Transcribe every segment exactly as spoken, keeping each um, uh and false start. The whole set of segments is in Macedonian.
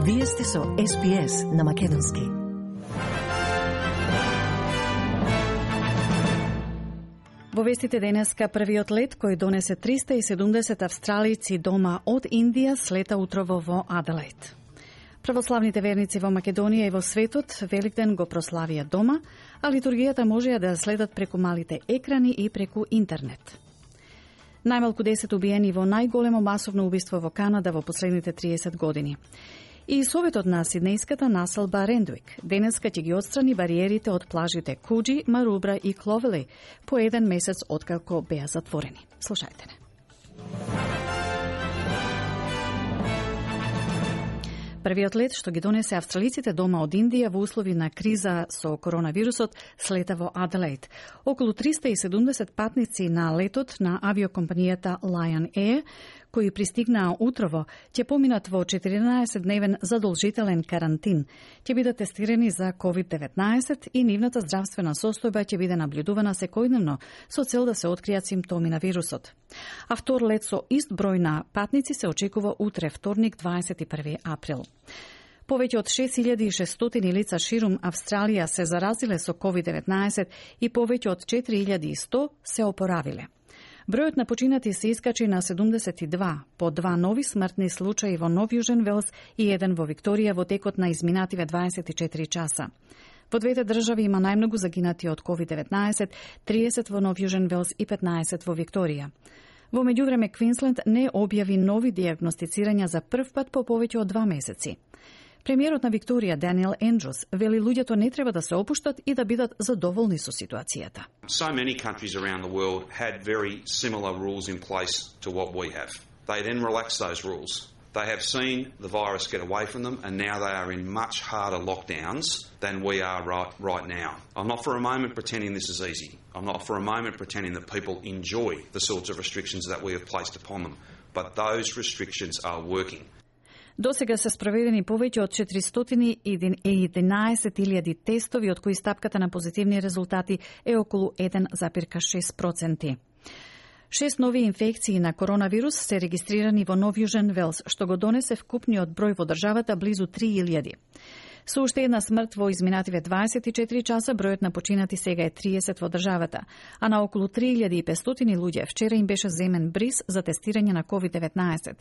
Вие сте со Ес Би Ес на македонски. Во вестите денеска првиот лет кој донесе триста и седумдесет австралици дома од Индија слета утрово во Аделаид. Православните верници во Македонија и во светот Великден го прославија дома, а литургијата можеа да следат преку малите екрани и преку интернет. Најмалку десет убиени во најголемо масовно убиство во Канада во последните триесет години. И Советот на Сиднејската населба Рендуик денеска ќе ги отстрани бариерите од плажите Куџи, Марубра и Кловели по еден месец откако беа затворени. Слушајте не. Првиот лет што ги донесе австралиците дома од Индија во услови на криза со коронавирусот слета во Аделаид. Околу триста и седумдесет патници на летот на авиокомпанијата Lion Air, кои пристигнаа утрово, ќе поминат во четиринаесет-дневен задолжителен карантин. Ќе бидат тестирани за ковид деветнаесет и нивната здравствена состојба ќе биде наблюдувана секојдневно со цел да се откријат симптоми на вирусот. А втор лет со ист број на патници се очекува утре, вторник, дваесет и први април. Повеќе од шест илјади и шестстотини лица ширум Австралија се заразиле со ковид деветнаесет и повеќе од четири илјади и сто се опоравиле. Бројот на починати се искачи на седумдесет и два, по два нови смртни случаи во Нов Јужен Велс и еден во Викторија во текот на изминативе дваесет и четири часа. Во двете држави има најмногу загинати од ковид деветнаесет, триесет во Нов Јужен Велс и петнаесет во Викторија. Во меѓувреме Квинсленд не објави нови диагностицирања за прв пат по повеќе од два месеци. Премиерот на Викторија, Даниел Ендрус, вели луѓето не треба да се опуштат и да бидат задоволни со ситуацијата. So many countries around the world had very similar rules in place to what we have. They then relaxed those rules. They have seen the virus get away from them, and now they are in much harder lockdowns than we are right, right now. I'm not for a moment pretending this is easy. I'm not for a moment pretending that people enjoy the sorts of restrictions that we have placed upon them. But those restrictions are working. До сега се спроведени повеќе од четиристотини и единаесет илјади тестови, од кои стапката на позитивни резултати е околу еден запирка шест проценти. Шест нови инфекции на коронавирус се регистрирани во Нов Јужен Велс, што го донесе вкупниот број во државата близу три илјади. Со уште една смрт во изминативе дваесет и четири часа, бројот на починати сега е триесет во државата, а на околу три илјади и петстотини луѓе вчера им беше земен бриз за тестирање на ковид деветнаесет.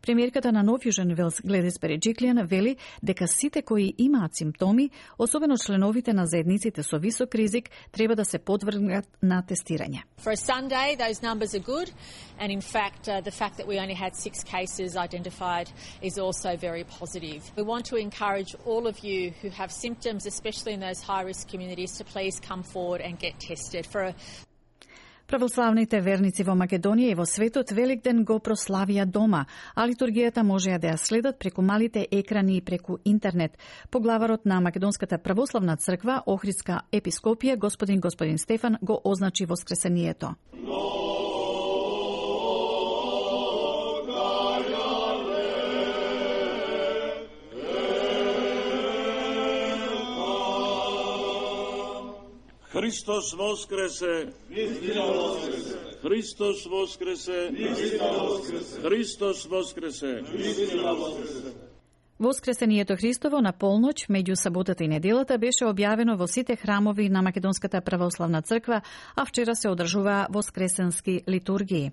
Премиерката на Нов Јужен Велс, Гледис Береджиклијан, вели дека сите кои имаат симптоми, особено членовите на заедниците со висок ризик, треба да се подвргнат на тестирање. For a Sunday, those numbers are good, and in fact, uh, the fact that we only had six cases identified is also very positive. We want to encourage all of you who have symptoms, especially in those high-risk communities, to please come forward and get tested. For a Православните верници во Македонија и во светот Великден го прославија дома, а литургијата можеа да ја следат преку малите екрани и преку интернет. Поглаварот на Македонската православна црква, Охридска епископија, господин господин Стефан, го означи воскресението. Христос воскресе! Христос воскресе! Христос воскресе! Воскресението Христово на полноќ меѓу саботата и неделата беше објавено во сите храмови на Македонската православна црква, а вчера се одржуваа воскресенски литургии.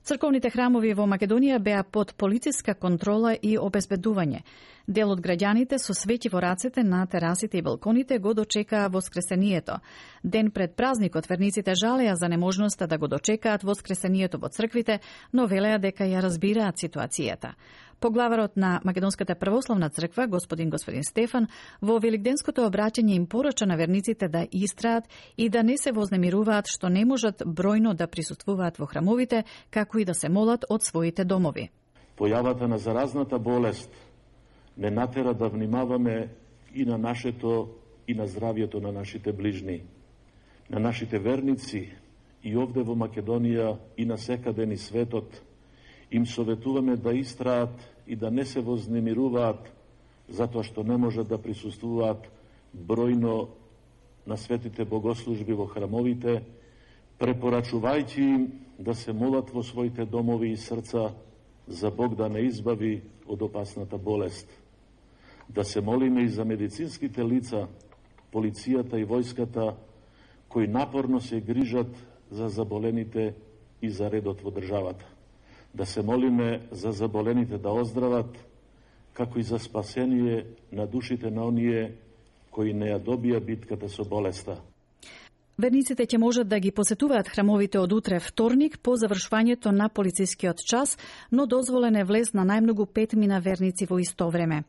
Црковните храмови во Македонија беа под полициска контрола и обезбедување. Дел од граѓаните со свети во рацете на терасите и балконите го дочекаа воскресението. Ден пред празникот верниците жалеа за неможноста да го дочекаат воскресението во црквите, но велеа дека ја разбираат ситуацијата. Поглаварот на Македонската православна црква, господин господин Стефан, во великденското обраќање им порача на верниците да истраат и да не се вознемируваат што не можат бројно да присуствуваат во храмовите, како и да се молат од своите домови. Појавата на заразната болест не натера да внимаваме и на нашето и на здравјето на нашите ближни, на нашите верници и овде во Македонија и на секаде низ светот. Им советуваме да истраат и да не се вознемируваат затоа што не можат да присуствуваат бројно на светите богослужби во храмовите, препорачувајќи им да се молат во своите домови и срца за Бог да не избави од опасната болест. Да се молиме и за медицинските лица, полицијата и војската, кои напорно се грижат за заболените и за редот во државата. Да се молиме за заболените да оздрават, како и за спасение на душите на оние кои не ја добија битката со болеста. Верниците ќе можат да ги посетуваат храмовите од утре вторник по завршувањето на полицискиот час, но дозволен е влез на најмногу петмина верници во исто време.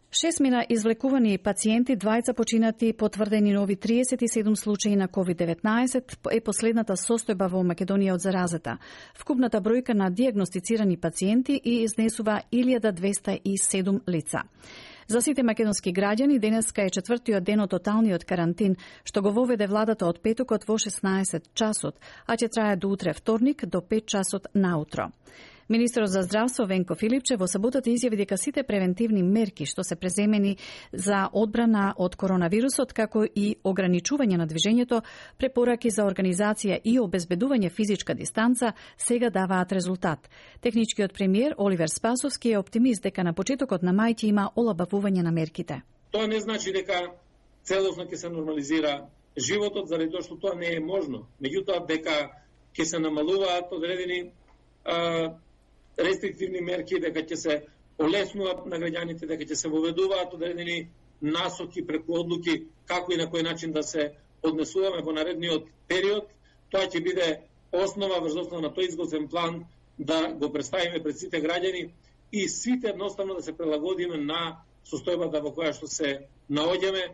Шестмина извлекувани пациенти, двајца починати, потврдени нови триесет и седум случаи на ковид деветнаесет е последната состојба во Македонија од заразата. Вкупната бројка на дијагностицирани пациенти и изнесува илјада двесте и седум лица. За сите македонски граѓани денеска е четвртиот ден од тоталниот карантин, што го воведе владата од петокот во шеснаесет часот, а ќе трае до утре вторник до пет часот наутро. Министерот за здравство Венко Филипче во саботата изјави дека сите превентивни мерки што се преземени за одбрана од коронавирусот, како и ограничување на движењето, препораки за организација и обезбедување физичка дистанца, сега даваат резултат. Техничкиот премиер Оливер Спасовски е оптимист дека на почетокот на мај ќе има олабавување на мерките. Тоа не значи дека целосно ќе се нормализира животот, заради тоа што тоа не е можно. Меѓутоа дека ќе се намалуваат одредени а, рестриктивни мерки, дека ќе се олеснуваат на граѓаните, дека ќе се воведуваат одредени насоки преку одлуки како и на кој начин да се однесуваме во наредниот период. Тоа ќе биде основа врз основа на тој изготвен план да го представиме пред сите граѓани и сите едноставно да се прилагодиме на состојбата во која што се наоѓаме.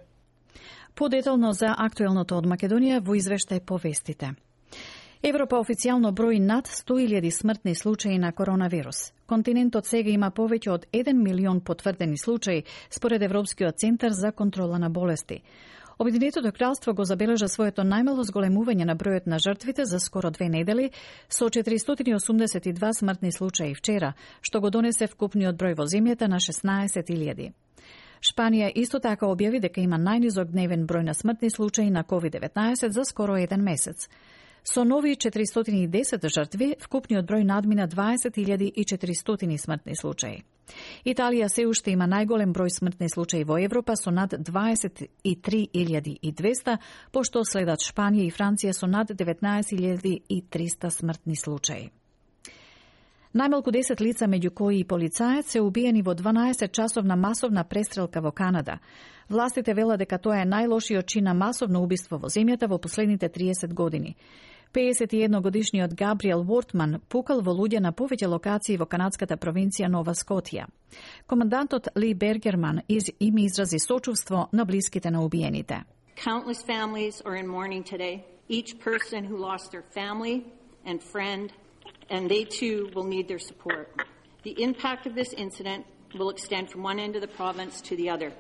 Подетално за актуелното од Македонија во извештај по вестите. Европа официјално брои над сто илјади смртни случаи на коронавирус. Континентот сега има повеќе од еден милион потврдени случаи, според Европскиот центар за контрола на болести. Обединетото кралство го забележа своето најмало зголемување на бројот на жртвите за скоро две недели, со четиристотини и осумдесет и два смртни случаи вчера, што го донесе вкупниот број во земјата на шеснаесет илјади. Шпанија исто така објави дека има најнизок дневен број на смртни случаи на ковид деветнаесет за скоро еден месец. Со нови четиристотини и десет жртви, вкупниот број надмина дваесет илјади и четиристотини смртни случаи. Италија се уште има најголем број смртни случаи во Европа со над дваесет и три илјади и двесте, пошто следат Шпанија и Франција со над деветнаесет илјади и триста смртни случаи. Најмалку десет лица, меѓу кои и полицаец, се убиени во дванаесет часовна масовна престрелка во Канада. Властите велат дека тоа е најлошиот чин на масовно убиство во земјата во последните триесет години. пеесет и едногодишниот Габриел Вортман пукал во луѓе на повеќе локации во канадската провинција Нова Скотија. Командантот Ли Бергерман из им изрази сочувство на блиските на убиените. Countless families are in mourning today. Each person who lost their family and friend, and they too will need their support. The impact of this incident will extend from one end of the province to the other.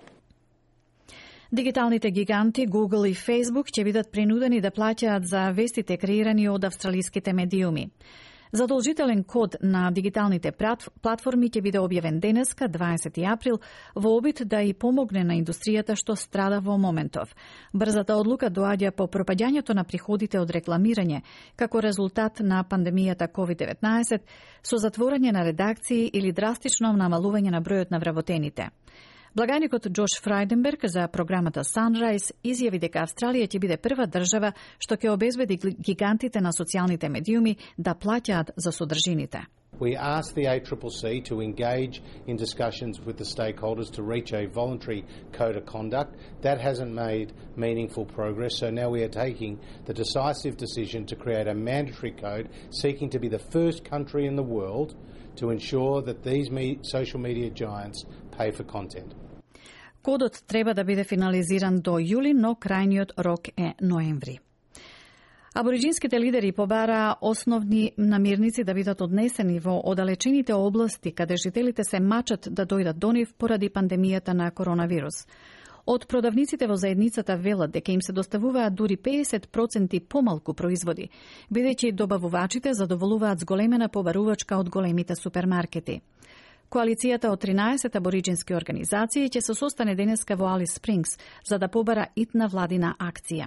Дигиталните гиганти Google и Facebook ќе бидат принудени да плаќаат за вестите креирани од австралиските медиуми. Задолжителен код на дигиталните платформи ќе биде објавен денеска, дваесети април, во обид да и помогне на индустријата што страда во моментов. Брзата одлука доаѓа по пропаѓањето на приходите од рекламирање, како резултат на пандемијата ковид деветнаесет, со затворање на редакции или драстично намалување на бројот на вработените. Благаникот Джош Фрајденберг за програмата Sunrise изјави дека Австралија ќе биде прва држава што ќе обезбеди гигантите на социјалните медиуми да плаќаат за содржините. We asked the A C C C to engage in discussions with the stakeholders to reach a voluntary code of conduct. That hasn't made meaningful progress, so now we are taking the decisive decision to create a mandatory code, seeking to be the first country in the world to ensure that these me- social media giants pay for content. Кодот треба да биде финализиран до јули, но крајниот рок е ноември. Абориджинските лидери побараа основни намирници да бидат однесени во оддалечените области каде жителите се мачат да дојдат до нив поради пандемијата на коронавирус. Од продавниците во заедницата велат дека им се доставуваат дури пеесет проценти помалку производи, бидејќи добавувачите задоволуваат зголемена побарувачка од големите супермаркети. Коалицијата од тринаесет абориджински организации ќе се состане денеска во Алис Спрингс за да побара итна владина акција.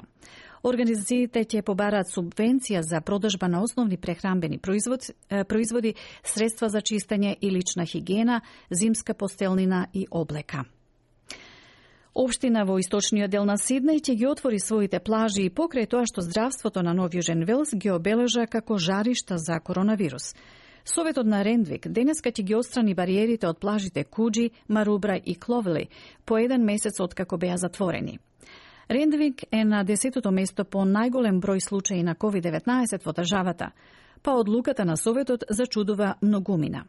Организациите ќе побараат субвенција за продажба на основни прехранбени производи, производи, средства за чистење и лична хигиена, зимска постелнина и облека. Општина во источниот дел на Сиднеј ќе ги отвори своите плажи и покрај тоа што здравството на Нов Јужен Велс ги обележа како жаришта за коронавирус. Советот на Рендвик денеска ќе ги отстрани бариерите од плажите Куджи, Марубра и Кловели по еден месец откако беа затворени. Рендвик е на десетото место по најголем број случаи на ковид деветнаесет во државата, па одлуката на Советот зачудува многумина.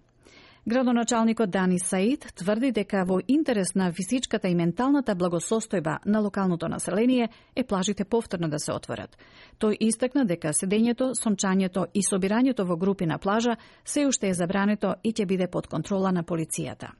Градоначалникот Дани Саид тврди дека во интерес на физичката и менталната благосостојба на локалното население е плажите повторно да се отворат. Тој истакна дека седењето, сончањето и собирањето во групи на плажа се уште е забрането и ќе биде под контрола на полицијата.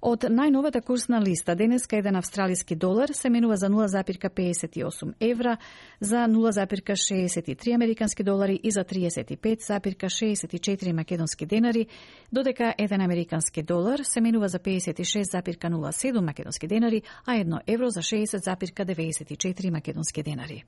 Од најновата курсна листа денеска еден австралиски долар се менува за нула запирка педесет и осум евра, за нула запирка шеесет и три американски долари и за триесет и пет запирка шеесет и четири македонски денари, додека еден американски долар се менува за педесет и шест запирка нула седум македонски денари, а едно евро за шеесет запирка деветдесет и четири македонски денари.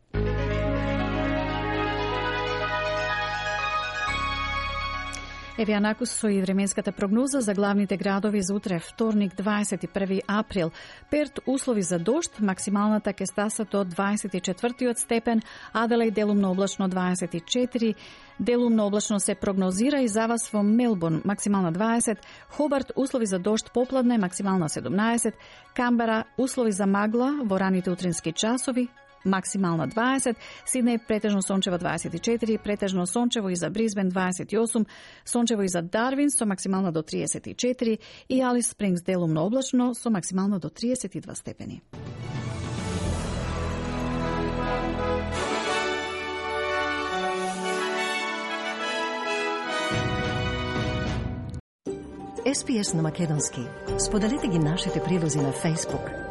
Еве анакус со и временската прогноза за главните градови за утре, вторник, дваесет и први април. Перт услови за дожд, максималната ќе стаса до дваесет и четвртиот степен, Аделаид делумно облачно дваесет и четири, делумно облачно се прогнозира и за вас во Мелбурн максимална дваесет, Хобарт услови за дожд попладне максимална седумнаесет, Камбера услови за магла во раните утрински часови максимална дваесет, Сиднеј претежно сончево дваесет и четири, претежно сончево и за Брисбен дваесет и осум, сончево и за Дарвин со максимална до триесет и четири и Алис Спрингс делумно облачно со максимално до триесет и два степени. Ес Пи Ес на македонски. Споделете ги нашите прилози на Facebook,